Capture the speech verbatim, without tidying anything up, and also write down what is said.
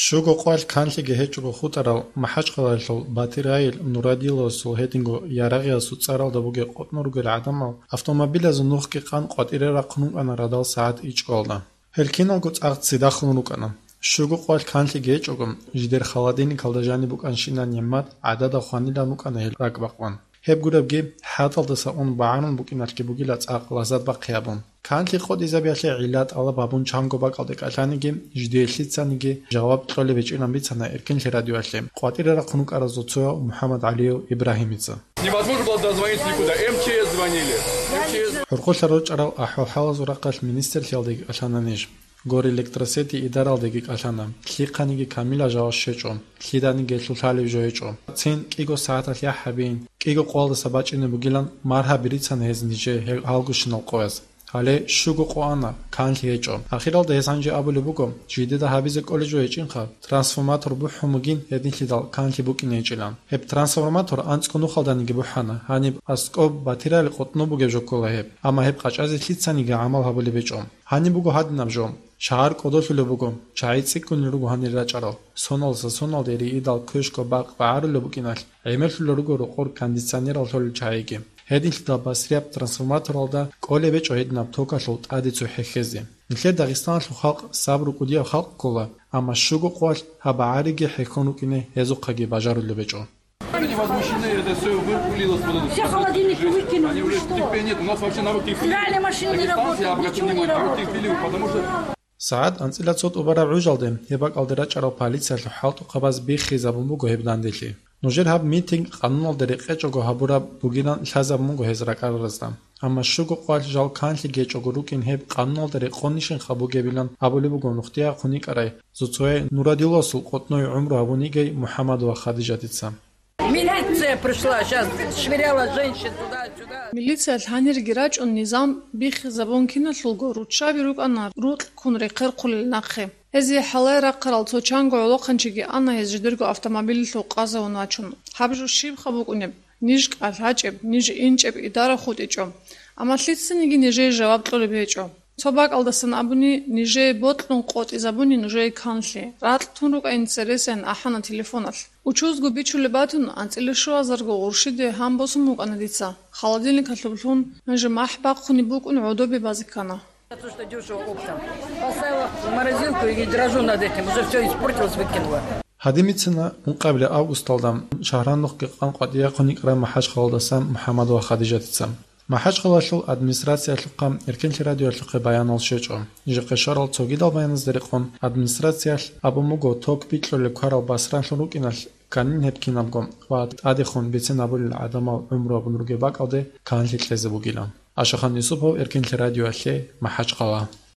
Щуго къвалъ канлъиги гьечӀого хутӀарал МахӀачхъалаялъул Батирайил Нурадиловасул гьединго Ярагъиясул цӀаралда бугеб къотӀнун ругел гӀадамал автомобилазул нухги къан къватӀире рахъун рукӀана радал сагӀат ичӀгоялда. Гьел киналго цӀакъ ццидахун рукӀана. Щуго къвалъ канлъиги гьечӀого, жидер холодильникалда жаниб букӀанщинаб нигӀмат гӀадада хванилан рукӀана гьел ракӀбакъван. Гьеб гуребги, хӀатӀалдаса ун багӀарун букӀиналъги бугила цӀакъ лаззат бахъи гьабун. Канлъи къотӀизабиялъе гӀилла тӀалаб гьабун чанго бакӀалде кӀалъаниги, жидее лъицаниги жаваб кьолеб гьечӀилан бицана Эркинлъи радиоялъе къватӀире рахъун рукӀаразул цояв МухӀаммад ГӀалиев Ибрагьимица. Невозможно было дозвониться никуда. МЧС звонили. МЧС. ХӀурхъулъа рорчӀарал ахӀвал-хӀалазул рахъалъ министрлъиялдеги кӀалъана ниж. Горе электросети идаралдеги кӀалъана. Лъихъаниги камилаб жаваб щвечӀо. Лъиданиги гьелъул лъалеб жо гьечӀо. Цин кӀиго сагӀаталъ яхӀ гьабиин, кӀиго къоялдаса бачӀине бугилан маргьаби рицана гьез нижее гьел гьалгощинал къояз. Гьале щуго къо ана, канлъи гьечӀо. Ахиралда гьес гьанже абулеб буго, жидеда гьабизе кӀолеб жо гьечӀинха, трансформатор бухӀун бугин гьединлъидал канлъи букӀине гьечӀилан. Гьеб трансформатор анцӀго нухалданиги бухӀана, гьаниб аскӀоб Батирайил къотӀнун бугеб жо ккола гьеб. Амма гьеб къачӀазе лъицаниги гӀамал гьабулеб гьечӀо. Гьаниб буго гьадинаб жо. Шагьар кӀодолъулеб буго, чагӀи цӀикӀкӀунел руго гьанир рачӀарал. Соналдаса соналде риидал квешго бакъ багӀарулеб букӀиналъ, гӀемерлъулел руго рокъор кондиционерал лъолел чагӀиги. Гьединлъидал басрияб трансформаторалда кӀолеб гьечӀо гьединаб токалъул тӀаде цо хӀехьезе. Нилъер Дагъистаналъул халкъ сабру кӀудияб халкъ ккола, амма щуго къоялъ гьаб багӀариги хӀехьон рукӀине гьезухъаги бажарулеб гьечӀо. Они возмущены, это всё выпылилось вот это. Все холодильники выкинули, ну что? Терпения нет, у нас вообще навык техфили. Стиральная машина не работает, ничего не работает. Потому что СагӀат анцӀила цо тӀубараб гӀужалде гьеб бакӀалде рачӀарал полициялъул хӀалтӀухъабаз биххизабун буго гьеб данделъи. Нужер гьаб митинг къануналда рекъечӀого гьабураб бугилан лъазабун буго гьез ракӀараразда. Амма щуго къвалъ жал канлъи гьечӀого рукӀин гьеб къануналда рекъонищинха бугебилан абулеб буго нухде ахъун йикӀарай Зуцояй Нурадиловасул къотӀнуй гӀумру гьабун йигей МухӀаммадова Хадижатица. Милиция пришла, щас швыряла женщин туда-сюда. Милициялъ гьанирги рачӀун низам биххизабун киналъулго руччаби рукӀана рукь ккун рехъерхъулел нахъе. Гьезие хӀалае рахъарал цо чанго гӀолохъанчиги ана гьез жидерго автомобилалъув къазавун вачун. Гьаб жо щибха букӀунеб? Ниж кӀалъачӀеб, ниж инчӀеб идара хутӀичӀо. Амма лъицаниги нижее жаваб кьолеб гьечӀо. Цо бакӀалдасан абуни, нижее бокьун къотӀизабуни нужее канлъи, ракь тун рукӀа интересаян ахӀана телефоналъ. Учузго бичулеб батун, анцӀила щуазарго гъурщиде гьан босун букӀана дица. Холодильникалъуб лъун, гьанже махӀ бахъунеб букӀун гӀодобе базе ккана. То, что дёшево оптом. Поставила в морозилку и дрожу над этим. Уже всё испортилось, выкинула. Гьадин бицина ункъабилеб августалда шагьранухъги къан къватӀирехъун йикӀарай МахӀачхъалаялдасан МухӀаммадова Хадижатица. МахӀачхъалаялъул администрациялъухъа Эркинлъи радиоялъухъе баянал щвечӀо. Жикъа щварал цогидал баяназда рекъон администрациялъ абун буго ток бикьулел кварал басранлъун рукӀиналъ, кканин гьеб кинабго ва тӀадехун бицен абулел гӀадамал гӀумру гьабун ругеб бакӀалде канлъи кьезе бугилан. Ашахан Юсупов, Эркинлъи радиоялъе, МахӀачхъала.